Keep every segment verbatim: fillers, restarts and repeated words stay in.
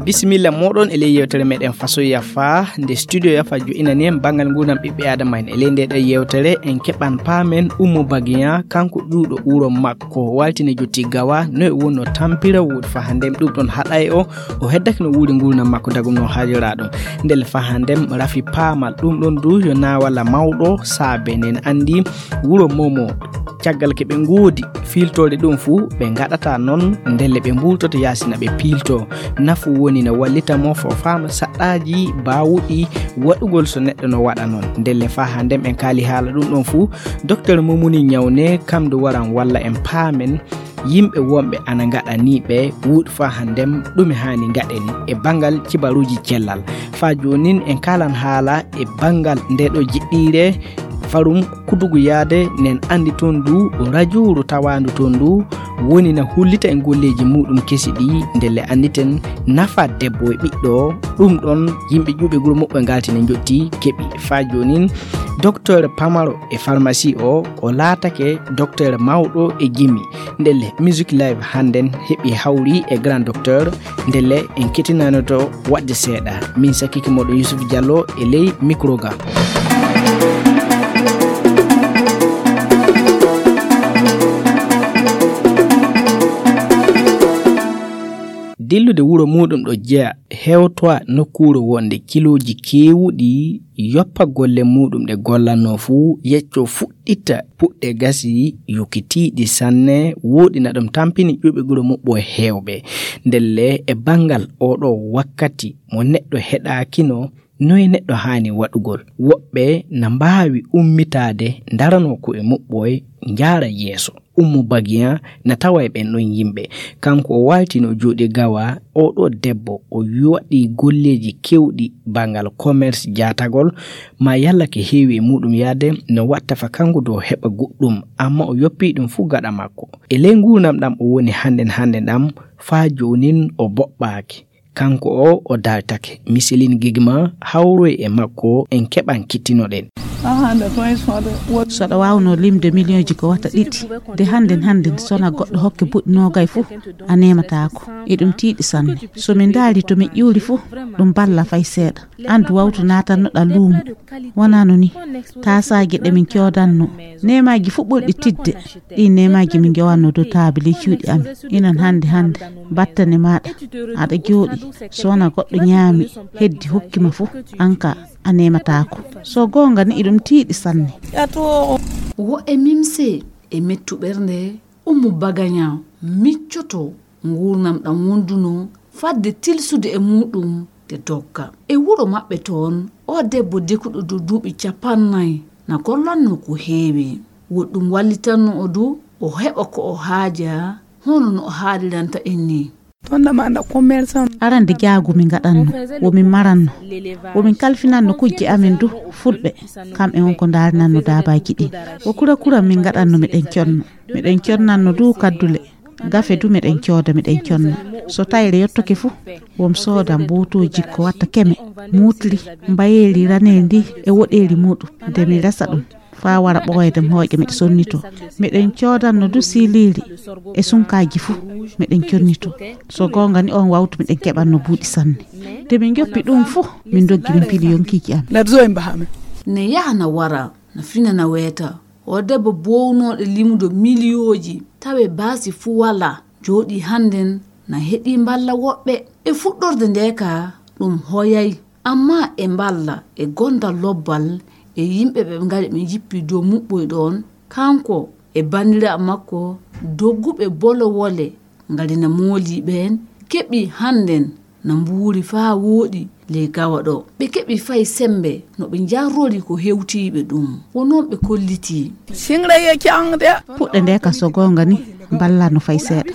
Bisimilla moɗon e ley yewtere meɗen Faso Yafa, nde studio Yafa jo'inani en bangal ngurnam ɓiɓɓe adama en. E ley nde ɗo yewtere en keɓan paamen Ummu Bagiya, kanko ƴuuɗo wuro makko waltine jotti gawa, no e wonno tampira wuuɗ fa hande ɗum ɗon haɗay o, o heddake no wuuri ngurnam makko dagum no haajora ɗum. Ndel fa hande rafi paamal ɗum ɗon du yo nawala mawɗo saabe nen andi wuro momo. Caggal ke ɓe ngoodi fiiltoore ɗum fuu, ɓe ngaɗata noon ndelle ɓe mbuultoto yaasi na ɓe piilto. Nafu woni na wallita mo fo faama saɗɗaaji baawuɗi waɗugol so neɗɗo no waɗa noon. Ndelle faa haa nden en kaali haala ɗum ɗoon fuu, Docteur Momuni Ñawne kam ndu waran walla en paamen yimɓe wonɓe ana ngaɗa nii ɓe wuuɗ faa haa nden ɗume haani ngaɗen e banngal cibaruuji cellal. Faa joonin en kaalan haala e banngal nde ɗo jiɗɗiire farum kudugu yaade nen anndi toon ndu rajuuru tawaandu toon ndu woni na hullita e golleeji muuɗum kesi ɗi ndelle anniten nafa debbo e ɓiɗɗo ɗum ɗon yimɓe ƴuuɓe guro muɓɓe ngalti ne njotti keɓi faa joonin docteur pamaro e pharmacie o o laatake docteur mawɗo e jimi ndelle musique live hannden heɓi hawri e grand docteur ndelle en kettinanoto waɗde seeɗa min sakkiki moɗo yusuf diallo e ley micro ga. Dillude wuro muuɗum ɗo jeya hewtowa nokkuure wonde kilooji keewuɗi yoppa golle muuɗum ɗe gollanno fuu yecco fuɗɗita puɗɗe gasi yokitiiɗi sanne wooɗi na ɗum tampini ƴuɓeguro muɓɓo heewɓe ndelle e banngal oɗo wakkati mo neɗɗo heɗaakino noye neɗɗo haani waɗugol woɓɓe na mbaawi ummitaade ndaranoo ko e muɓɓoye njaara yeeso. Ummu bagiya na tawa e ɓen ɗon yimɓe kanko o waaltino jooɗi gawa oɗo debbo o waɗi golleeji kewɗi banngal commerce jaatagol ma yalla ke heewi e muɗum yaade no watta fa kanko dow heɓa goɗɗum amma o yoppi ɗum fuu gaɗa makko e ley nguurnam ɗam o woni hannden hannden ɗam faa joonin o boɓɓaaki kanko o o dartake misilin gigma hawroy e makko en keɓan kittinoɗen. Soɗa wawno limde miliyonji ko wata ɗiɗi de hannden hannden sona goɗɗo hokke buɗɗi nogay fuu a nemataako eɗum tiiɗi sanne so min ndaari to min ƴuuri fuu ɗum balla fay seeɗa. Andu wawtu natannoɗa luumo wonano ni taasaaji ɗe min coodanno nemaaji fuu ɓurɗi tidde ɗi nemaaji min njowanno dow taabi ley cuuɗi amin inan hannde hannde battane maaɗa aɗa jooɗi so wona goɗɗo ñaami heddi hokkima fuu anka a nemataako so goonga ni iɗum tiiɗi sanne. Wo e mimse e mettu ɓernde ummu bagaña miccoto nguurnam ɗam wonduno fadde tilsude e muuɗum de dogga e wuro maɓɓe toon o debbo dekuɗo dow duuɓi capannay na gollanno ko heewi woɗɗum wallitanno o du o heɓa ko o haaja hono no o haaliranta en ni. Arande jaagu min ngaɗanno womin maranno womin kalfinanno kujje amin du fulɓe kamɓe won ko ndaarinanno daabaaji ɗin wo kura kura min ngaɗanno miɗen conno miɗen connanno du kaddule gafe du miɗen cooda miɗen conna so tayre yottoke fuu wom soodan bootooji ko watta keme muutli mbayeeli raneeli ndi e woɗeeli muuɗum nde mi resa ɗum faa wara ɓooyde mi hooƴa miɗo sonnitoo miɗen coodanno du siiliili e sunkaaji fuu miɗen connitoo so goonga ni oon wawtu miɗen keɓanno buuɗi sanne nde min njoppi ɗum fuu min ndoggi min pili yonkiiji amin. Ne yaha na wara na fina na weeta o debbo boownooɗo limudo miliyooji tawe baasi fuu walaa jooɗii hannden na heɗii mballa woɓɓe e fuɗɗorde nde ka ɗum hoyay amma e mballa e gondal lobbal e yimɓe ɓe ngari ɓe njippi dow muɓɓoy ɗoon kanko e banndiraaɓe makko dogguɓe bolowole ngari na moolii ɓeen keɓii hannden na mbuuri faa wooɗi ley gawa ɗo ɓe keɓi fay semmbe no ɓe njarrori ko hewtiiɓe ɗum wo noon ɓe kollitii. Puɗɗe nde ka so goonga ni ballano fay seeɗa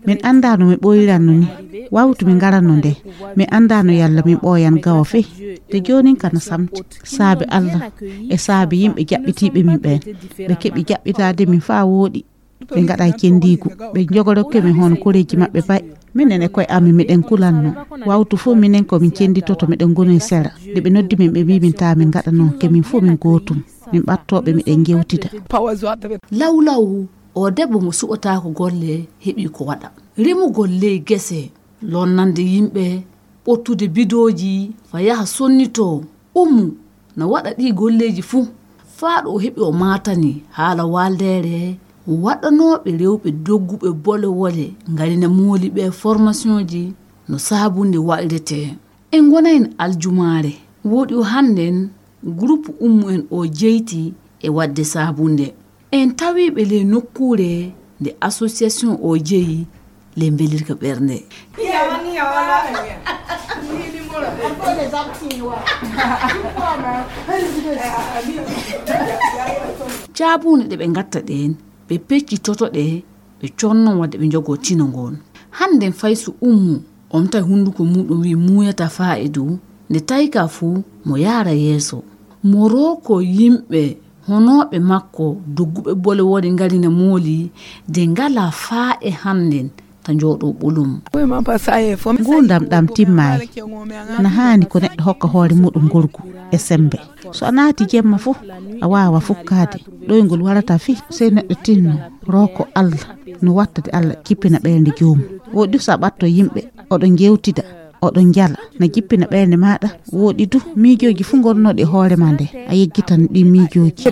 min anndaano mi ɓooyiranno ni wawtu mi ngaranno nde mi anndaano yalla min ɓooyan gawa fey de joonin kana samti saabe allah e saabe yimɓe jaɓɓitiiɓe min ɓeen ɓe keɓi jaɓɓitaade min faa wooɗi ɓe ngaɗa e cenndiigu ɓe njogorokke min hono koreeji maɓɓe pay minen e koye amin miɗen kulanno wawtu fof minen ko min cennditoto miɗen ngoni e sera nde ɓe noddi min ɓe mbi min taa min ngaɗa noon ke min fof min gootum Min ɓattooɓe miɗen ngewtida. Lawlaw, o debbo mo suɓataako golle heɓi ko waɗa. Remugol ley gese, lonnande yimɓe, ɓottude bidooji, fa yaha sonnitoo. Ummu na waɗa ɗii golleeji fuu. Faa ɗo o heɓi o maatani haala waaldeere waɗanooɓe rewɓe dogguɓe bole wole ngarina mooli ɓe formationji no saabunde waɗiretee. En ngonayno aljumaare. Wooɗi o hannden gurupu ummu en o jeyti e waɗde saabunde. En tawi ɓe ley nokkuure nde association o jeyi ley mbelirka ɓernde. Jaabuune ɗe ɓe ngatta ɗeen, ɓe peccitoto ɗe, ɓe conno wadde ɓe njogoo tino ngoon. Hannden fay so ummu, on tawi hunnduko muuɗum wi'i muuyata faa'idu, nde tawi ka fuu mo yaara yeeso. Mo rooko yimɓe honooɓe makko dogguɓe bole wori ngarina mooli, de ngalaa faa'e hannden ta njooɗoo ɓolum. Nguurndam ɗam timmaay. Na haani ko neɗɗo hokka hoore muuɗum ngorgu e semmbe. So a naati jemma fuu, a waawa fukkaade. Ɗoyngol warata fii, sey neɗɗo tinno, rooko Alla, no wattade Alla jippina ɓeynde joomum. Wooɗi so a ɓatto yimɓe, oɗo njeewtida, oɗo njala, na jippina ɓeynde maaɗa. Wooɗi du, miijooji fuu ngonnoɗi e hoore ma nde, a yejjitan ɗi miijooji.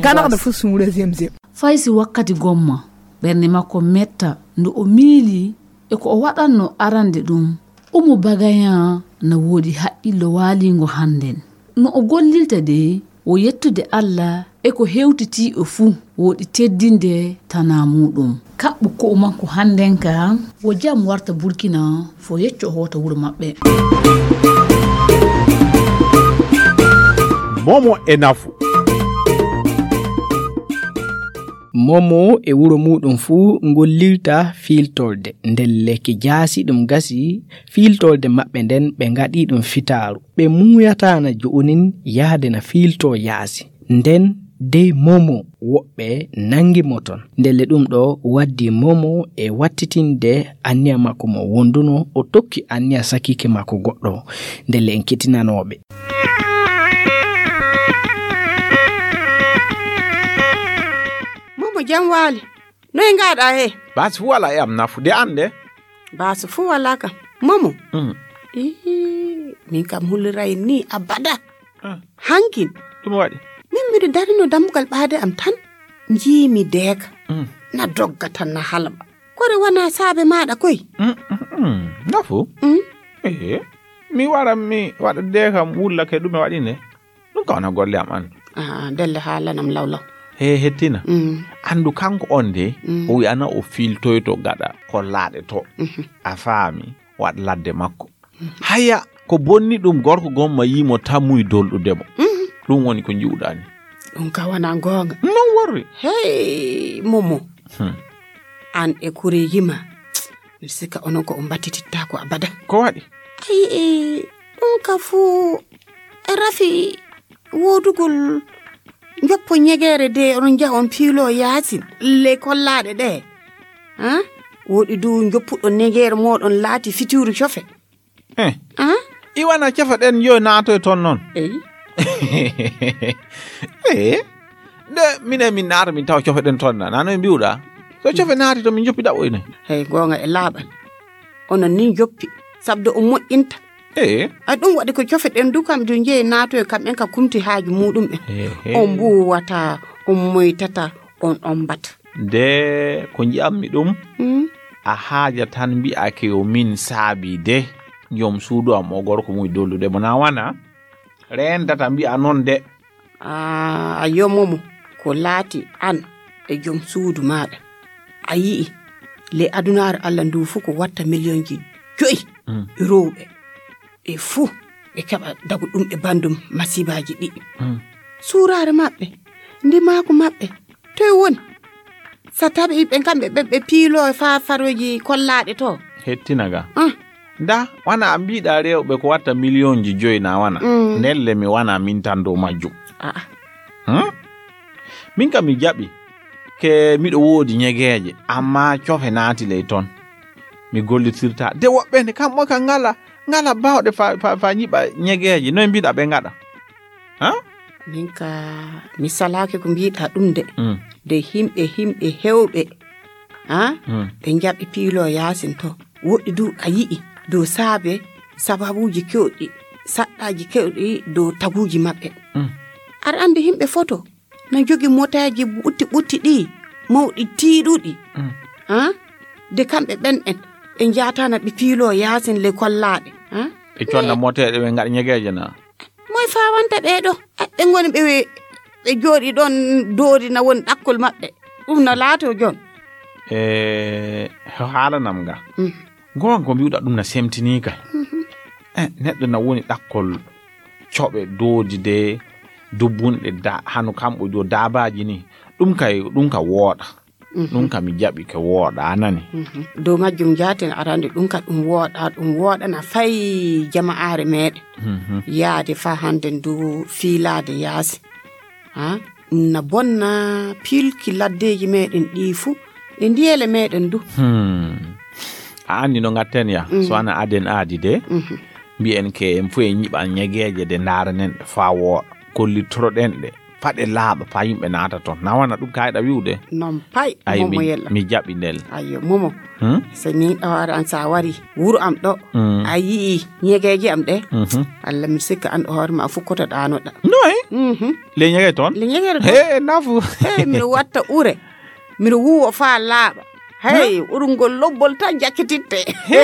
Fay si wakkati gomma, ɓernde makko metta, nde o miili e ko o waɗannoo arande ɗum, Umu Bagayan na woodi haqqillo waaliingo hannden. No o gollirta de, o yettude Alla e ko hewtitii o fuu, woodi teddinde tanaa muuɗum. Kaɓɓu ko'o makko hannden ka, wo jam warta Burkina, fo yecco hoota wuro maɓɓe. Momo e nafu. Momo e wuro muuɗum fuu ngollirta fiiltorde. Ndelle ki jaasi ɗum gasi fiiltorde maɓɓe nden, ɓe ngaɗi ɗum fitaaru. Ɓe muuyataana jo'onin yahde na fiiltoo yaasi. Nden dey Momo woɓɓe nangi mo ton. Ndelle ɗum ɗo waddi Momo e wattitinde anniya makko mo wonduno, o tokki anniya sakiike makko goɗɗo. Ndelle en kettinanooɓe. Momo, jam waali. Noy ngaɗa he? Baasi fuu walaa e am nafu de an de. Baasi fuu walaa kam. Momo. Mm. Ii, min kam hulliray ni abada. Ah. Hankin. Ɗum waɗi? Min miɗo darino dammugal ɓaade am tan. Njiimi deeka. Mm. Na dogga tan na halba. Kore wona saabe maaɗa koy? Mm, mm, mm. Nafu? Mm. Ee, mi wara mi waɗa deekam wulla ke ɗume waɗi ne? Ɗum ka wona golle am an. Ah, ndelle haalanam lawlaw. He hettina. Mm. Anndu kanko on de, mm, o wi'ana o fiiltoyto gaɗa kollaaɗe to. Mhm. A faami, waɗ ladde makko. Mhm. Haya, ko bonni ɗum gorko gomma yimo tammuy dolɗude mo. Mhm. Ɗum woni ko nji'uɗaa ni. Ɗum ka wona goonga. Non worri. Hey, Momo. Hmm. An e kure yima. Miɗo sikka onon ko on mbattitittaako abada. Ko waɗi? Ayi, e, ɗum ka fuu e rafi woodugol njoppo ñegeere de, onon njaha on piilo yaasin le kollaaɗe ɗe. Ha? Woɗi du njoppuɗo ñegeere mooɗon laati fitiiru cofe. Eh. Ha? Iwana cofe ɗen yo naatoy ton non. Eyi. Eh. Nde minen min naata min tawa cofe ɗen ton na. Nano mbi'uɗa. So cofe naati to min njoppi ɗaɓɓoyne. Hey, goonga e laaɓal. Onon ni njoppi. Sabdo o moƴƴinta. Ee. A ɗum waɗi ko cofe ɗen du kam du njeyi naatoy kam en ka kumti haaju muɗum en. Ee, ee. On mbuuwata, on moytata, on ombata. Nde ko nji'ammi ɗum, hmm? A haaja tan mbi'ake yo min saabi de. Joom suudu am o gorko muy dollude mo na wana. Reentata mbi'a non de. Aa, a yomomo ko laati an e joom suudu maaɗa. A yi'i, le adunaare Allah ndu fuu ko watta miliyonji joyi, mm, rewɓe. Ɓe fuu ɓe keɓa dagu ɗum e bandum masibaaji ɗiɗi. Mm. Suuraare maɓɓe, ndimaaku maɓɓe, toy woni? So tawi ɓe kamɓe ɓe, ɓe piilo e faa farooji kollaaɗe to. Hettina ga. Ah. Nda, wana a mbiɗa rewɓe ko watta miliyonji joyi na wana. Mm. Ndelle mi wana min tan dow majjum. Ah. Hmm? Min kam mi jaɓi. Ke miɗo woodi ñegeeje, amma cofe naati ley ton. Mi gollitirta. De woɓɓe ne kam mo ka ngala, ngala bawɗe fa, fa, fa ñiɓa ñegeeje. Noy mbiɗa ɓe ngaɗa? Ha? Min ka mi salaaki ko mbiɗa ɗum de. Mm. De himɓe, himɓe hewɓe, ha? Mm. Ɓe njaɓi piilo yaasin to. Woɗɗi du a yi'i dow saabe sababuuji kewɗi, saɗɗaaji kewɗi dow taguuji maɓɓe. Mm. Aɗa anndi himɓe foto na jogi moteeji ɓutti ɓutti ɗi, mawɗi tiiɗuɗi. Mm. Ha? De kamɓe ɓen en, ɓe njaatana ɓe piilo yaasin le kollaaɗe. Ha? Ɓe conna moteeɗe, ɓe ngaɗa ñegeeje na? Moy fawanta ɓee ɗo? Ɓe ngoni ɓe, ɓe jooɗi ɗon doori na woni ɗakkol maɓɓe. Ɗum na laato jon. E, haalanam nga. Mm. Goonga ko mbi'uɗa ɗum na semtinii kay. Mhm. E, neɗɗo na woni ɗakkol coɓe doodi de dubbunɗe da-, hano kamɓo jo daabaaji ni. Ɗum kay, ɗum ka wooɗa. Mhm. Ɗum ka mi jaɓi ke wooɗa, a nani? Mhm. Dow majjum jaaten arande ɗum ka ɗum wooɗa, ɗum wooɗana fay jama'aare meɗen. Mhm. Yaade fa hande ndu fiilaade yaasi. Ha? Na bonna pilki laddeeji meɗen ɗi fu, e ndiyele meɗen du. Hmm. A anndi no ngatten ya, mm, so ana aden aadi de, mhm, mbi'en ke en fu en nyiɓan ñegeeje de ndaaranen ɗe faa wooɗa. Kollitoroɗen ɗe, faa ɗe laaɓa, faa yimɓe naata ton. Na wana ɗum kayɗa wi'ude? Non pay, ay, Momo mi, Yella. Mi jaɓi ndel. Ayyo, Momo. Hmm? So min ɗo hoore an, so a wari wuro am ɗo, mm, a yi'i ñegeeje am ɗe, mhm, Allah mi sikka an ɗo hoore ma a fukkoto ɗaanoɗa. Noy? Mhm. Le ñege ton? Le ñege ton. He, nafu. He, miɗo watta ure. Miɗo wuwa faa laaɓa. Hey, hmm? Urungol lobbol tan jakkititte. He,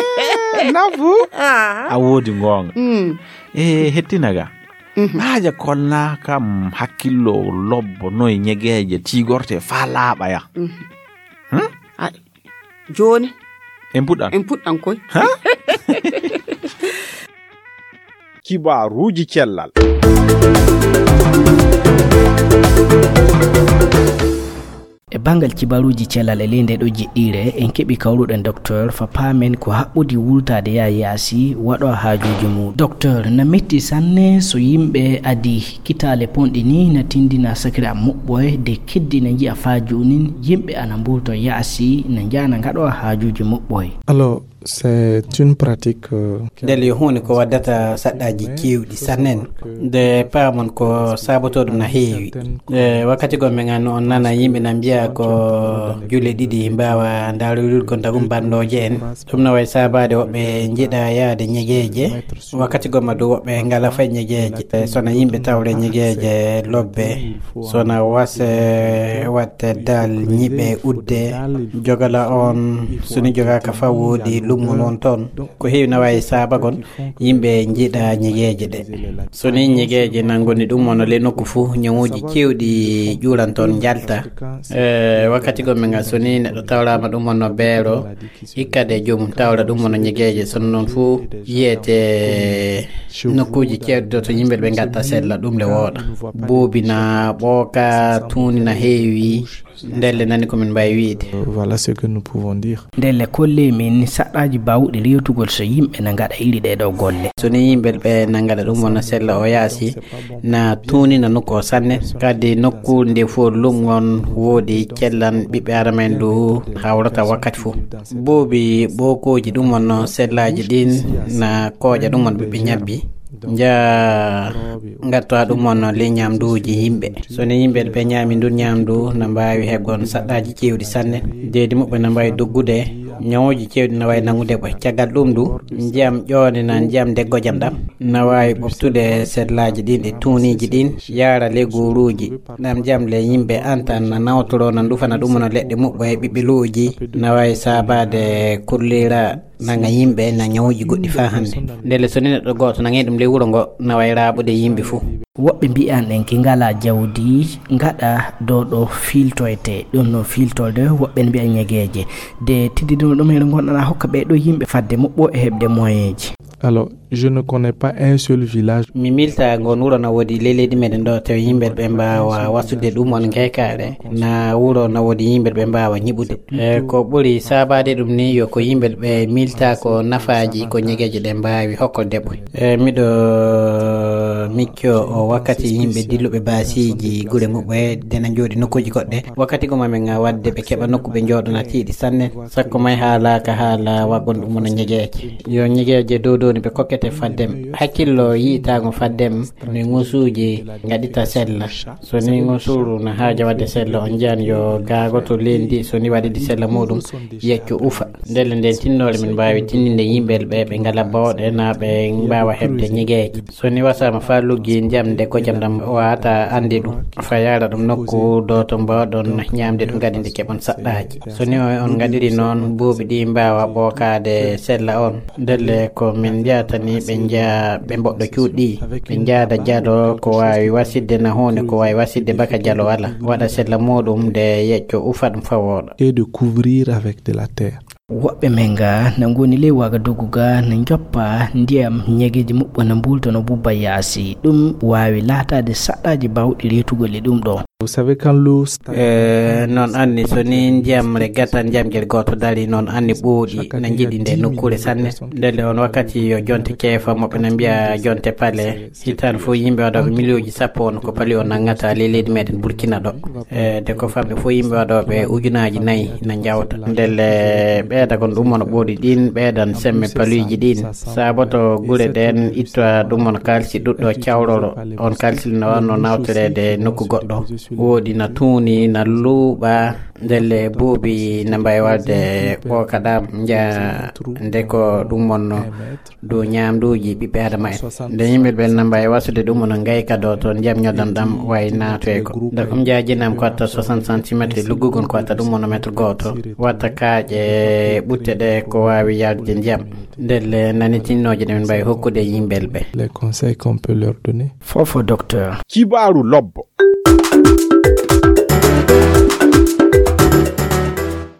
nafu. Ah. A woodi ngoonga. Mm. E, hettina ga. Mhm. Haaja konna kam hakkillo lobbo noy ñegeeje tigorte faa laaɓa ya. Mhm. Hmm? Ay, jooni. En puɗɗan. En puɗɗan koy. Ha? Kibaaruuji cellal. E banngal kibaaruuji cellal e ley ndee ɗoo jiɗɗiire, en keɓii kawruɗen Docteur fa paamen ko haɓɓodii wultaade yaa yaasi waɗo haajuuji mum. Docteur, na metti sanne so yimɓe adii kitaale ponɗi nii na tindina sakiraaɓe muɓɓoye de keddi na njiya faa joonin yimɓe ana mbuulto yaasi na njaana ngaɗo haajuuji muɓɓoye. Alors, c'est une pratique, euh, ndel yo huunde ko waddata saɗɗaaji keewɗi sanne. Nde paamon ko saabotoo ɗum na heewi. E wakkati goo men an on nana yimɓe na mbiya ko julle ɗiɗi mbaawa ndaaruyurgol tagum banndooje en. Ɗum na wayi saabaade woɓɓe njiɗa yaade ñegeeje. Wakkati goo ma du woɓɓe ngala fay ñegeeje. E so na yimɓe tawre ñegeeje lobbe. So na wase watte dal ñiɓe udde. Jogala on so ni jogaaka fa woodi lummol won toon. Ko heewi na wayi saabagol yimɓe njiɗa ñegeeje ɗe. So ni ñegeeje na ngoni ɗum wano le nokku fuu, ñawuuji keewɗi ƴuuran toon njalta. E wakkati goo men ngal so ni neɗɗo tawraama ɗum wano beero, hikka de joomum tawra ɗum wano ñegeeje. Sono noon fuu yiyete nokkuuji keewɗi ɗo to yimɓe ɓe ngatta sella ɗum le wooɗa. Buubi na ɓooka, tuuni na heewi. Ndelle nani ko min mbaawi wiyde. Euh, voilà ce que nous pouvons dire. Ndelle kollee min saɗɗaaji baawɗi rewtugol so yimɓe na ngaɗa iri ɗee ɗoo golle. So ni yimɓe ɓe na ngaɗa ɗum wona sella o yaasi, na tuuni na nokku o sanne. Kadi nokku nde fof lum on woodi cellan ɓiɓɓe Aadama en du hawrata wakkati fof. Buubi ɓookooji ɗum wonno sellaaji ɗin na kooƴa ɗum won ɓiɓɓe ñabbi. Nja ngattowa ɗum wonno le ñamduuji yimɓe. So ni yimɓe ɓe ñaami ndun ñamdu na mbaawi heɓgon saɗɗaaji keewɗi sanne. Deedi muɓɓe na mbaawi doggude. Ñawuuji keewɗi na waawi nangude ɓe. Caggal ɗum du, ndiyam ƴoone na ndiyam deggojam ɗam na waawi ɓoftude sellaaji ɗin e tuuniiji ɗin, yaara le gooruuji. Ɗam ndiyam le yimɓe antan na nawtoro na ndufana ɗum no leɗɗe muɓɓo e ɓiɓɓe lu'uji na waawi saabaade kurlira nanga yimɓe na ñawuuji goɗɗi faa hannde. Ndelle so ni neɗɗo gooto nangii ɗum ley wuro ngo na waawi raaɓude yimɓe fuu. Woɓɓe mbi'an en ki ngalaa jawdi ngaɗa ɗo ɗo fiiltoyte, ɗon no fiiltorde, woɓɓe ne mbi'a ñegeeje. De tiddidino ɗum heɗo ngonɗana hokka ɓee ɗo yimɓe fadde muɓɓo e heɓde moyenji. Alors, je ne connais pas un seul village. Mi milta ngon wuro na woodi ley leydi meɗen ɗo, tawi yimɓe ɓe mbaawa wasude ɗum on ngeykaare. Na wuro na woodi yimɓe ɓe mbaawa ñiɓude. E, ko ɓuri saabaade ɗum ni yo ko yimɓe ɓe milta ko nafaaji ko ñegeeje ɗe mbaawi hokko debbo. E, miɗo micco o wakkati yimɓe dilluɓe baasiiji gure muɓɓe dena jooɗi nokkuuji goɗɗe. Wakkati goma men waɗde ɓe keɓa nokku ɓe jooɗona tiiɗi sanne. Sakko may haalaaka haala waggon ɗum wona ñegeeje. Yo ñegeeje dow dow ni ɓe kokke te faddem hakkillo yi'itaango faddem ni ngusuuji ngaɗita sella. So ni ngusuuru na haaja waɗde sella, on njiyan yo gaagoto leydi, so ni waɗidi sella muɗum, yecco ufa. Ndelle nden tinnoore min mbaawi tinninde yimɓe ɓe ɓe ngala bawɗe na ɓe mbaawa heɓde ñigeeje. So ni wasaama faa luggi ndiyam nde kocam ɗam waata annde ɗum, fa yaara ɗum nokku dooto mbaawɗon ñaamde ɗum kadi nde keɓon saɗɗaaji. So ni on ngaɗiri noon, buubi ɗi mbaawa ɓookaade sella on. Ndelle ko min njahata ni ɓe njaha ɓe mboɗɗo cuuɗi, ɓe njaada jalo ko waawi wasidde na huunde ko waawi wasidde baka jalo wala waɗa sella muɗum nde yecco ufa ɗum fa wooɗa. Et de couvrir avec de la terre. Woɓɓe men ga na ngoni ley Wagadugu ga na njoppa ndiyam, ñegeeji muɓɓo na mbulta no bubba yaasi. Ɗum waawi laataade saɗɗaaji baawɗi reetugol e ɗum ɗo. Vous savez, quand l'eau sta- Eh, noon anni so ni ndiyam re gatan ndiyam gel gooto dari, noon anni ɓooɗi na njiɗi nde nokkuure sanne. Ndelle on wakkati yo jonte keefa moɓɓe na mbiya jonte pale. Hitaande fof yimɓe waɗooɓe miliyooji sappo on ko pali o nanngata ley leydi meɗen Burkina ɗo. E de ko famɗi fof yimɓe waɗooɓe ujunaaji nayi na njawta. Ndelle ɓeydagol ɗum on ɓooɗi ɗin ɓeydan semme paluuji ɗin. Saaboto gure ɗen ittoya ɗum on kaalisi ɗuɗɗo cawroro. On kaalisi no wanno nawtoreede nokku goɗɗo. Woodi na tuuni, na luuɓa, ndelle buubi na mbawi waɗde ɓooka ɗam nja nde ko ɗum on dow ñaamduuji ɓiɓɓe Adama en. Nde yimɓe ɓen namba e wasude ɗum, ono ngayka ɗo toon ndiyam ñoddam ɗam wayi naatoygo. Nde ko mi jaajinam ko watta soixante centimètres, e luggugol ko watta ɗum ono mètre gooto. Watta kaaƴe ɓutte ɗe ko waawi yaltude ndiyam. Ndelle nanitinnooje ɗe min mbawi hokkude yimɓel ɓe. Les conseils qu'on peut leur donner. Fofo docteur. Kibaaru lobbo.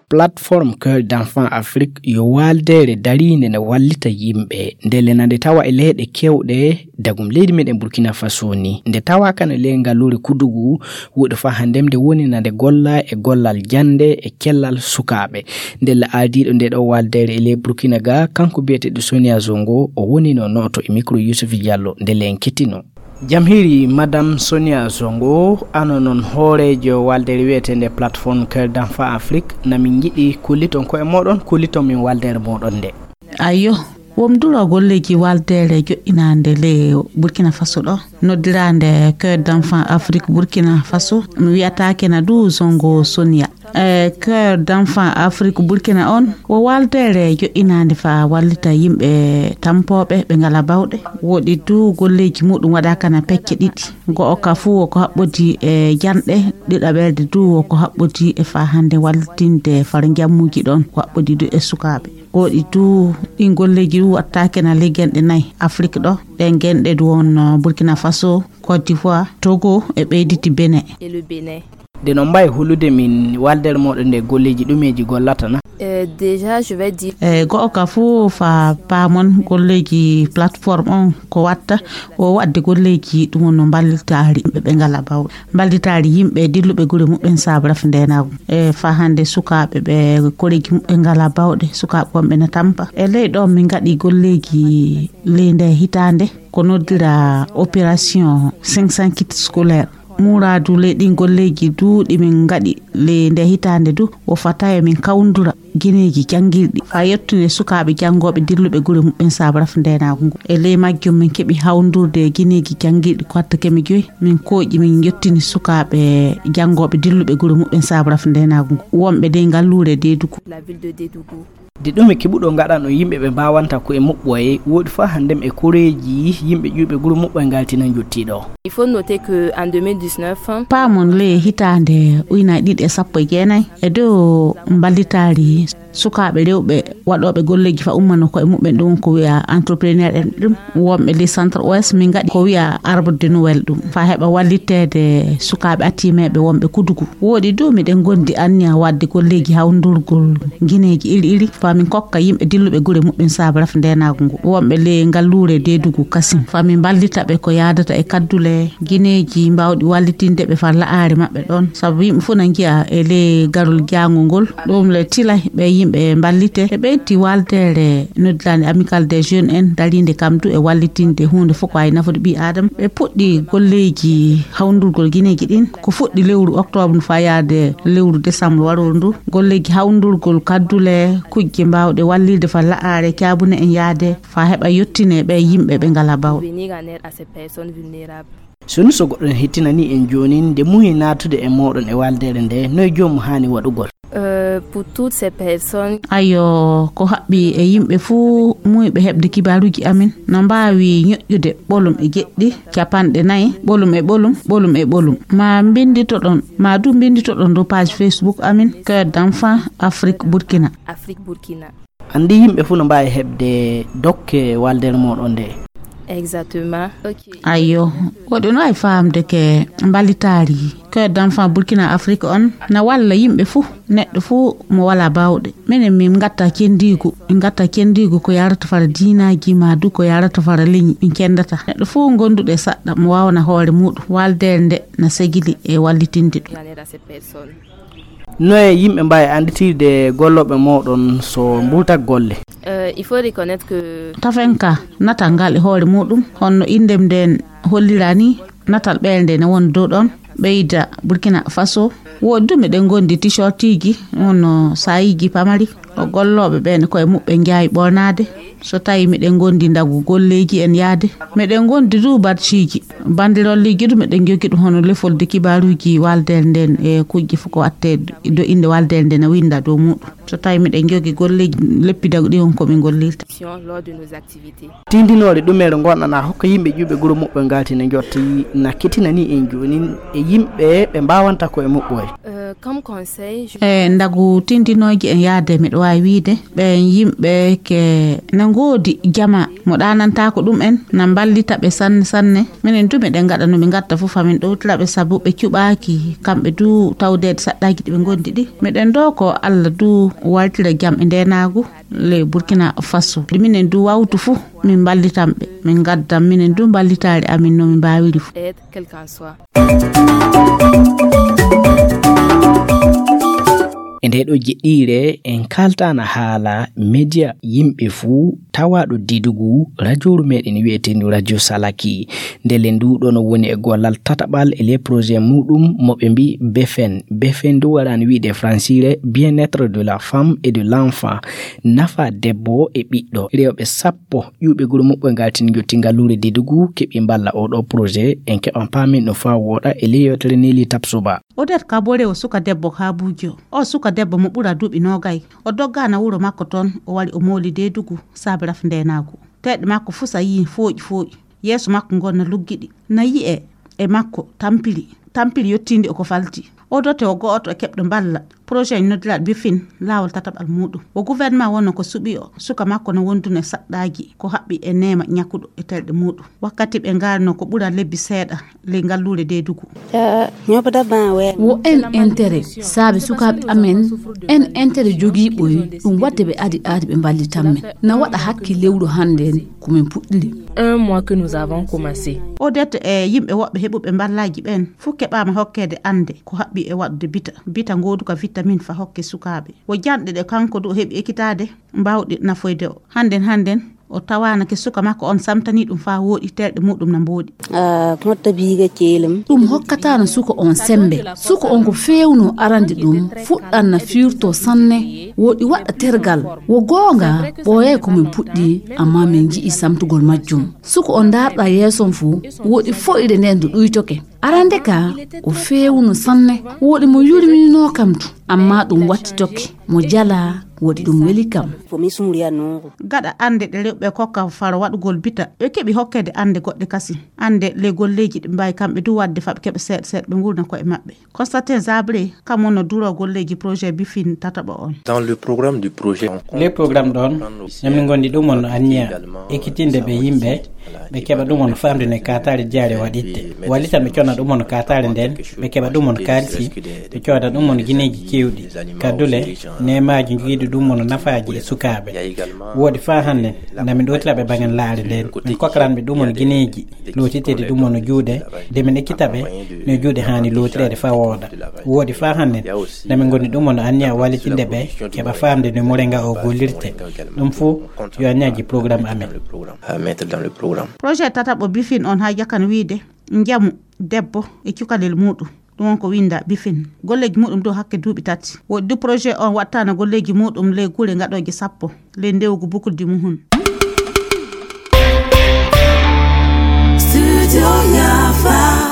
Plateforme Cœur d'Enfant Afrique yo waaldeere dariinde ne wallita yimɓe. Ndelle na nde tawa e leyɗe kewɗe, dagum leydi meɗen Burkina Faso ni. Nde tawa kan e ley ngaluure Kudugu, wuɗo fa hannde nde woni na nde golla e gollal jannde e cellal sukaaɓe. Ndelle ardiiɗo nde ɗo waaldeere e ley Burkina ga, kanko biyeteeɗo Sonia Zongo, o woni no nooto e micro Youssouf Diallo. Ndelle en kettino. Jam hiiri, Madame Sonia Zongo, ano noon hooreejo waaldeere wiyeteende Plateforme Cœur d'Enfant Afrique, na min njiɗi kolliton koye mooɗon, kolliton min waaldeere mooɗon nde. Ayyo, wom duro golleeji waaldeere joɗɗinaande le Burkina Faso ɗo, noddiraande Cœur d'Enfant Afrique Burkina Faso, mi wiyataake na du Zongo Sonia. E Cœur d'Enfant Afrique Burkina on, wo waaldeere joɗɗinaande fa wallita yimɓe tampooɓe ɓe ngala bawɗe. Woɗi du golleeji muɗum waɗaaka na pecce ɗiɗi. Go'o ka fuu wo ko haɓɓodi e janɗe, ɗiɗaɓerde du wo ko haɓɓodi e fa hannde wallitinde far njammuuji ɗon ko haɓɓodi du e sukaaɓe. Woɗi du ɗin golleeji du wattaake na ligenɗe nayi Afrique ɗo. Ɗen genɗe du won Burkina Faso, Côte d'Ivoire, Togo e ɓeyditi Benin. Et le Bénin. Nde no mbawi hulude min waldere moɗon nde golleji ɗumeji gollata na? Euh, déjà, je vais dire. E go'o ka fuu fa paamon golleji plateforme on ko watta o wadde golleji ɗum no mballitaari ɓe ɓe ngala bawɗe. Mballitaari yimɓe dilluɓe gure muɓɓen sabu raf ndenagu. E fa hande sukaɓe ɓe koreji muɓɓe ngala bawɗe, sukaɓe wonɓe na tampa. E ley ɗon min ngaɗi golleji ley nde hitande ko noddira opération cinq cents kits scolaires. Muraadu ley ɗin golleeji du ɗi min ngaɗi ley nde hitaande du, wo fata yo min kawndura gineeji janngirɗi faa yettude sukaaɓe janngooɓe dilluɓe gure muɓɓen sabu raf ndeenaagu ngu. E ley majjum min keɓi hawndurde e gineeji janngirɗi ko watta keme joyi. Min kooƴi min yettini sukaaɓe janngooɓe dilluɓe gure muɓɓen sabu raf ndeenaagu ngu. Wonɓe dey ngalluure Deedugu. La ville de Dedougou. De ɗume keɓuɗo ngaɗano yimɓe ɓe mbawanta ko e muɓɓoye woɗi fa handem e koreji yimɓe ƴuɓe gure muɓɓoye ngaltina jottiɗo. Il faut noter que en deux mille dix-neuf, paamon le hitaande ujunaaji ɗiɗi e sappo e jeenayi e dow mballitaari sukaaɓe rewɓe waɗooɓe golleeji fa ummano ko e muɓɓen ɗum ko wiya entrepreneur en ɗum wonɓe le centre ouest min ngaɗi ko wiya arbre de noël ɗum fa heɓa walliteede sukaaɓe atimeeɓe wonɓe kudugu. Woɗi du miɗen gondi anniya wadde golleeji hawndurgol gineeji iri iri fa min kokka yimɓe dilluɓe gure muɓɓen sabu raf ndenaagu ngu. Wonɓe le ngalluure Deedugu kasin fa min mballita ɓe ko yaadata e kaddule gineeji mbawɗi wallitinde ɓe fa la'aare maɓɓe ɗon. Sabu yimɓe fof na njiya e le garol jaango ngol. Ɗum le tilay ɓe Yimɓe mballite, ɓe ɓeydti waaldeere noddirande Amicale des Jeunes en, dariinde kam du e wallitinde huunde fof ko waawi nafude ɓii Aadama. Ɓe puɗɗi golleeji hawndurgol gineeji ɗin. Ko fuɗɗi lewru octobre faa yaade lewru décembre warooru ndu. Golleeji hawndurgol kaddule, kujje mbaawɗe wallirde faa la'are caabune en yaade, faa heɓa yettine ɓe yimɓe ɓe ngalaa baawɗe. Venir en aide à ces personnes vulnérables. So ni so goɗɗo ne hettinanii en jooni, nde muuyi naatude e mooɗon e waaldeere nde, noye joomum haani waɗugol? Euh, pour toutes ces personnes. Ayo, ko haɓɓi e yimɓe fuu muuyɓe heɓde kibaaruuji amin, no mbaawi ñoƴƴude ɓolum e jeɗɗi, capanɗe nayi, ɓolum e ɓolum, ɓolum e ɓolum. Ma mbinnditoɗon, ma du mbinnditoɗon dow page Facebook amin, Cœur d'Enfant Afrique Burkina. Afrique Burkina. Anndi yimɓe fuu no mbaawi heɓde dokke waaldeere mooɗon nde. Exactement. Ok. Ayo, woɗɗo no waawi faamde ke mballitaari Cœur d'Enfant Burkina Afrique on na walla yimɓe fuu, neɗɗo fuu mo walaa baawɗe. Minen min ngatta cenndiigu, min ngatta cenndiigu ko yarata fara diinaaji ma du ko yarata fara leñi, min cenndata. Neɗɗo fuu gonduɗo e saɗɗa mo waawana hoore muuɗum, waaldeere nde na segili e wallitinde ɗum. Noye yimɓe mbaawi annditirde gollooɓe mooɗon so mburtat golle? Euh, il faut reconnaître que. Tafen ka, natal ngal e hoore muuɗum, honno inndem nden hollira ni, natal ɓeere nde ne woni dow ɗon, ɓeyda Burkina Faso. Woodi du meɗen ngondi t-shirtiji, wonno saayiiji pamari, o gollooɓe ɓeen koye muɓɓen njaawi ɓornaade. So tawi meɗen ngondi ndagu golleeji en yaade, meɗen ngondi du badgeji, bandirolleji du meɗen jogi ɗum hono lefolde kibaaruuji waaldeere nden e kujje fof ko watte do innde waaldeere nden na winda dow muuɗum. So tawi meɗen jogi golleeji leppi dagu ɗi on ko min gollirta. Lors de nos activités. Tindinoore ɗumere ngonɗana hokka yimɓe ƴuɓe guro muɓɓe ngalti ne jotti na kitinani en joonin e yimɓe ɓe mbawanta ko e muɓɓoye. Euh, comme conseil, je. E ndagu tindinooji en yaade, miɗo waawi wiide ɓeen yimɓe ke na ngoodi jama mo ɗaanantaako ɗum en, na mballita ɓe sanne sanne. Minen du miɗen ngaɗa no ɓe ngatta fof, famin ɗowtira ɓe, sabu ɓe cuɓaaki kamɓe du tawdeede saɗɗaaji ɗi ɓe ngondi ɗi. Miɗen doo ko Allah du waltira jam e ndeenaagu le Burkina Faso. Ɗi minen du wawtu fof, min mballitan ɓe, min ngaddan minen du mballitaare amin no min mbaawiri fof. Aide, quel qu'en soit. E nde ɗo jeɗɗiire, en kaltana haala media yimɓe fuu tawaaɗo didugu rajooru meɗen wi'eteendu Radio Salaki. Ndele ndu ɗo no woni e gollal tataɓal e les projets muɗum mo ɓe mbi Befen. Befen ndu warani wi'de e fransire bien-être de la femme et de l'enfant. Nafa debbo e ɓiɗɗo. Rewɓe sappo ƴuɓe guro muɓɓe ngaltin jotti ngalluure didugu keɓi mballa oɗo projet. En keɓan paamin no faa wooɗa e ley yewtere Neli Tapsuba. Odette Kabore o suka debbo Kabujo. O suka debbo mo ɓura duuɓi noogay. O doggana wuro makko toon, o wari o mooli deedugu saabe raf ndeenaagu. Teeɗe makko fuu sa yii fooƴi fooƴi. Yeeso makko ngon na luggiɗi. Na yi'e e makko tampiri. Tampiri yottiindi o ko falti. O dote o go'oto e keɓɗo mballa. Projet noddiraaɗo Bifin laawol tataɓal muuɗum. O gouvernement wonno ko suɓi o. Suka makko no wondune saɗɗaaji ko haɓɓi e neema ñakkuɗo e terɗe muuɗum. Wakkati ɓe ngarno ko ɓura lebbi seeɗa ley ngalluure deedugu. Wo en intérêt, saabe sukaaɓe amen, en intérêt jogiiɓoy ɗum waɗde ɓe adi aadi ɓe mballitan men. Na waɗa hakke lewru hannde en ko min puɗɗiri. Un mois que nous avons commencé. Odette e yimɓe woɓɓe heɓuɓe mballaaji ɓeen, fof keɓaama hokkeede annde ko haɓɓi e waɗude bita. Bita ngooduka vitamine fa hokke sukaaɓe. Wo janɗe ɗe kanko du o heɓi ekitaade, mbaawɗe nafoyde o. Hannden, hannden, o tawaana ke suka makko on samtanii ɗum faa wooɗi, terɗe muuɗum na mbooɗi. Ah, motta biiga ceelam. Ɗum hokkataano suka on semmbe. Suka on ko feewno arande ɗum, fuɗɗan na fiirto sanne, wooɗi waɗa tergal. Wo goonga, ɓooyay ko min puɗɗi, ammaa min nji'i samtugol majjum. Suka on ndaarɗa yeeso on fuu, wooɗi fo'ire nden ndu ɗuytoke. Arande ka, o feewno sanne, wooɗi mo yurminoo kam du, ammaa ɗum wattitoke, mo jalaa, wooɗi ɗum weli kam. Fo mi sumriya noogo. Gaɗa annde ɗe rewɓe kokka faro waɗugol bita, ɓe keɓi hokkeede annde goɗɗe kasi. Annde le golleeji ɗi mbaawi kamɓe du waɗde fa ɓe keɓa seeɗa seeɗa ɓe ngurna koye maɓɓe. Constantin Zabré, kam wonno duro golleeji projet Bifin tataɓo on. Dans le programme du projet, le programme ɗon, ñami ngondi ɗum on anniya ekkitinde ɓe yimɓe, ɓe keɓa ɗum on famde ne kaataare jaare waɗitte. Wallita ɓe conna ɗum on kaataare nden, ɓe keɓa ɗum on kaalisi, ɓe cooda ɗum on gineeji keewɗi. Kaddule, neemaaji jogiiɗi ɗum on nafaaji e sukaaɓe. Woodi faa hannde, na min ɗowtira ɓe baŋen laare nden. Min kokkaran ɓe ɗum on gineeji, lootiteede ɗum on juuɗe, de min ekkita ɓe no juuɗe haani lootireede faa wooda. Woodi faa hannden. Nde min ngoni ɗum, on anniya wallitinde ɓe, keɓa faamde no mure nga o gollirte. Ɗum fuu yo anniyaji programme amen. À mettre dans le programme. Projet tataɓo bifin on haa jakan wiide njamu debbo e cukalel muuɗum. Ɗum on ko winda bifin. Golleeji muuɗum dow hakke duuɓi tati. Woodi du projet on waɗtaano golleeji muuɗum ley gure ngaɗooje sappo, ley ndewgu bukuldi muhun. Studio Yafa.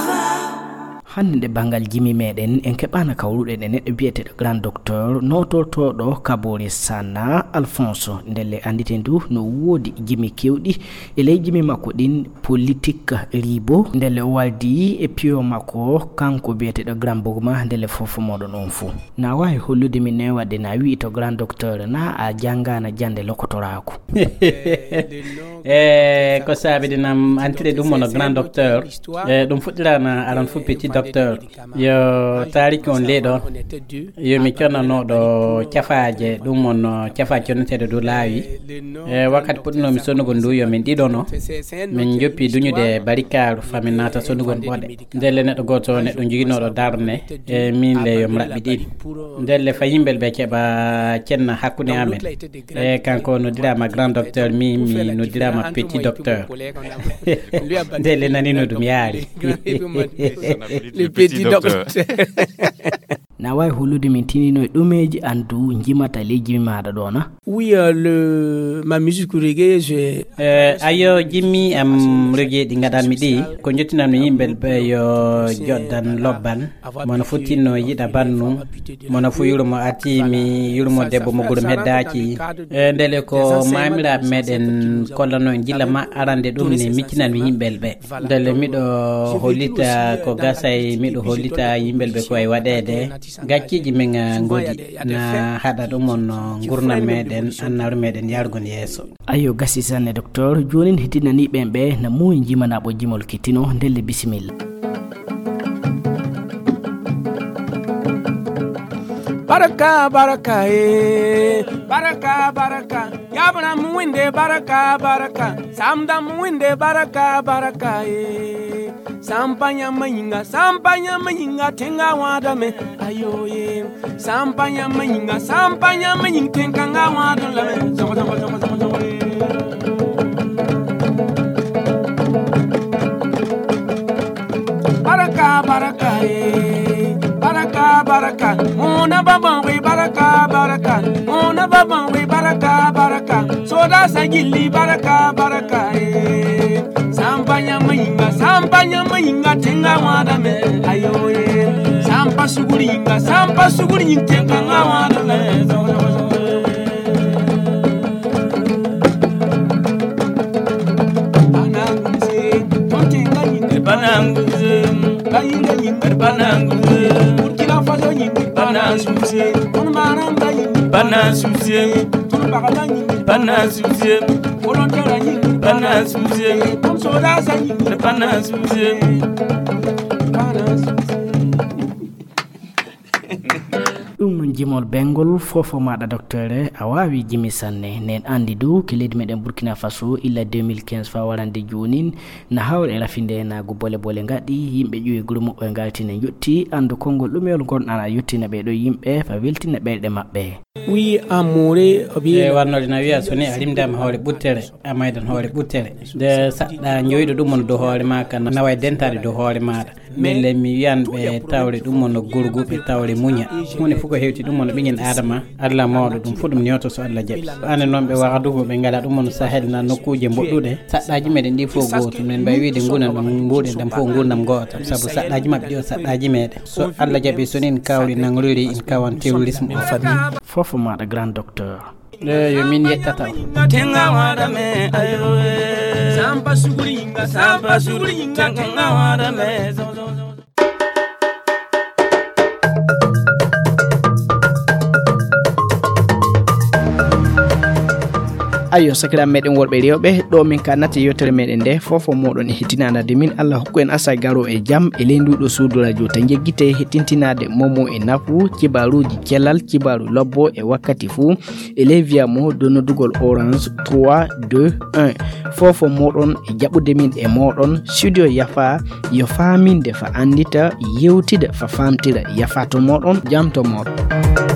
Hannde nde banngal jimi meɗen, en keɓaana kawruɗen e neɗɗo biyeteeɗo Grand Docteur, nootortooɗo Kabore Sana Alphonse. Ndelle annditen du no woodi jimi kewɗi e ley jimi makko ɗin, politique riibo. Ndelle o waldi e piyo makko, kanko biyeteeɗo Grand Bogma, ndelle fof moɗon on fuu. Na waawi hollude min ne waɗde na wi'i to Grand Docteur, na a janngaana jannde lokotoraaku. E ko saabidinam antirde ɗum wano Grand Docteur. E ɗum fuɗɗiraana aran fof Petit Docteur. Yo taariki on ley ɗon. Yo mi connanooɗo cafaaje, ɗum wano cafaaje conneteeɗe dow laawi. E wakkati puɗɗinoomi sonnugol ndu, yo min ɗiɗono. Min njoppi duñude barikaaru, faa min naata sonnugol ɓoɗe. Ndelle neɗɗo gooto, neɗɗo joginooɗo darne, e min le yo mi raɓɓiɗin. Ndelle faa yimɓe ɓe keɓa cenna hakkunde amen. E kanko noddiraama Grand Docteur, min mi noddiraama Petit Docteur. Ndelle nani no ɗum yaari. Le Petit Docteur. Na waawi hollude min tinino e ɗumeeji an du njimata ley jimi maaɗa ɗo na? Oui, euh, le, ma musique reggae, je Eh, ayo, jimi am reggae ɗi ngaɗanmi ɗi, ko njottinanmi yimɓe ɓe yo joɗdan lobban. Mono fu tinno yiɗa bannum, mono fu yurmo atimi, yurmo debbo mo gurum heddaaki. Eh, ndele ko maamiraaɓe meɗen kollano en gila ma arande ɗum ne miccinanmi yimɓe ɓe. Ndelle miɗo hollita ko gasay, miɗo hollita yimɓe ɓe ko e waɗeede. Gacceeji men, eh, ngoodi na haɗa ɗum on, eh, ngurnam meɗen, annawre meɗen yarugol yeeso. Ayo, gasi sanne, Docteur. Joonin heddinanii ɓen ɓe na muuyi jimana ɓo jimol kittino. Ndelle bisimilla. Baraka, baraka, eh. Baraka, baraka. Yabra muwinde baraka, baraka. Samda muwinde baraka, baraka, eh. Sampanya mayinga, sampanya mayinga, tenga wada me, ayo, eh. Sampanya mayinga, sampanya mayinga, tenga wada la me. Zogo, zogo, zogo, zogo, zogo, eh. Baraka, baraka, eh. Baraka, baraka. Mona baba we baraka, baraka. Mona baba we baraka, baraka. Soda sagili baraka, baraka, eh. Sampanya mayinga, sampanya mayinga, tenga wada me. Ayo, eh. Sampa suguringa, sampa suguringa, tenga wada me. Bananguze, Bananguze, Burkina Faso, Bananguze, Bananguze, Bananguze, Bananguze, Bananguze. Ɗum jimol bengol fofo maɗa, docteur, a waawi jimi sanne. Nen andi du ke leydi meɗen Burkina Faso illa deux mille quinze fa warande jonin na hawre e rafinde nago bole bole ngaɗi, yimɓe ƴuwi guru muɓɓe ngalti ne jotti. Andu konngol ɗumeyol ngon ana yottina ɓe ɗo yimɓe fa weltina ɓeyɗe maɓɓe. Oui, amore, e warnode na wiya so ni a rimdama hoore ɓuttere, a maydan hoore ɓuttere. Nde saɗɗa jowiɗo ɗum on dow hoore ma, kan naway dentade dow hoore maɗa. Mille mi wiyan ɓe tawre ɗum on no gurgu, ɓe tawre muña. Huunde fof ko hewti ɗum on ɓiñen Adama, Allah mawɗo, ɗum fof ɗum newto so Allah jaɓi. Ande noon ɓe wahdugo ɓe ngala ɗum on Sahel na nokkuuje mboɗɗuɗe. Saɗɗaji meɗen ɗi fof gooto. Men mbawi wiide ngunan ɗum mbuɗen ɗam fof ngurnam goota. Sabu saɗɗaji maɓɓe ɗi o saɗɗaji meɗen. So Allah jaɓi so nin kawri nangrori in kawan terrorisme o famille. Fof maɗa grand docteur. Eh, yo min yettata. Tenga wada me, ayo, eh. Sampa suguri inga, sampa suguri inga, tenga wada me. Ayo, sakiraaɓe meɗen worɓe rewɓe, ɗo min kannata yewtere meɗen nde, fofo moɗon e hettinanade min. Allah hokku en asa garo e jam e ley nduɗo suudu radio ta jeggite hettintinaade momo e nafu, kibaruuji celal, kibaru lobbo e wakkati fuu, e ley wiya mo do noddugol Orange trois deux un. Fofo moɗon e jaɓude min e moɗon, studio yafa, yo faaminde fa anndita, yewtida fa faamtira, yafa to moɗon, jam to moɗon.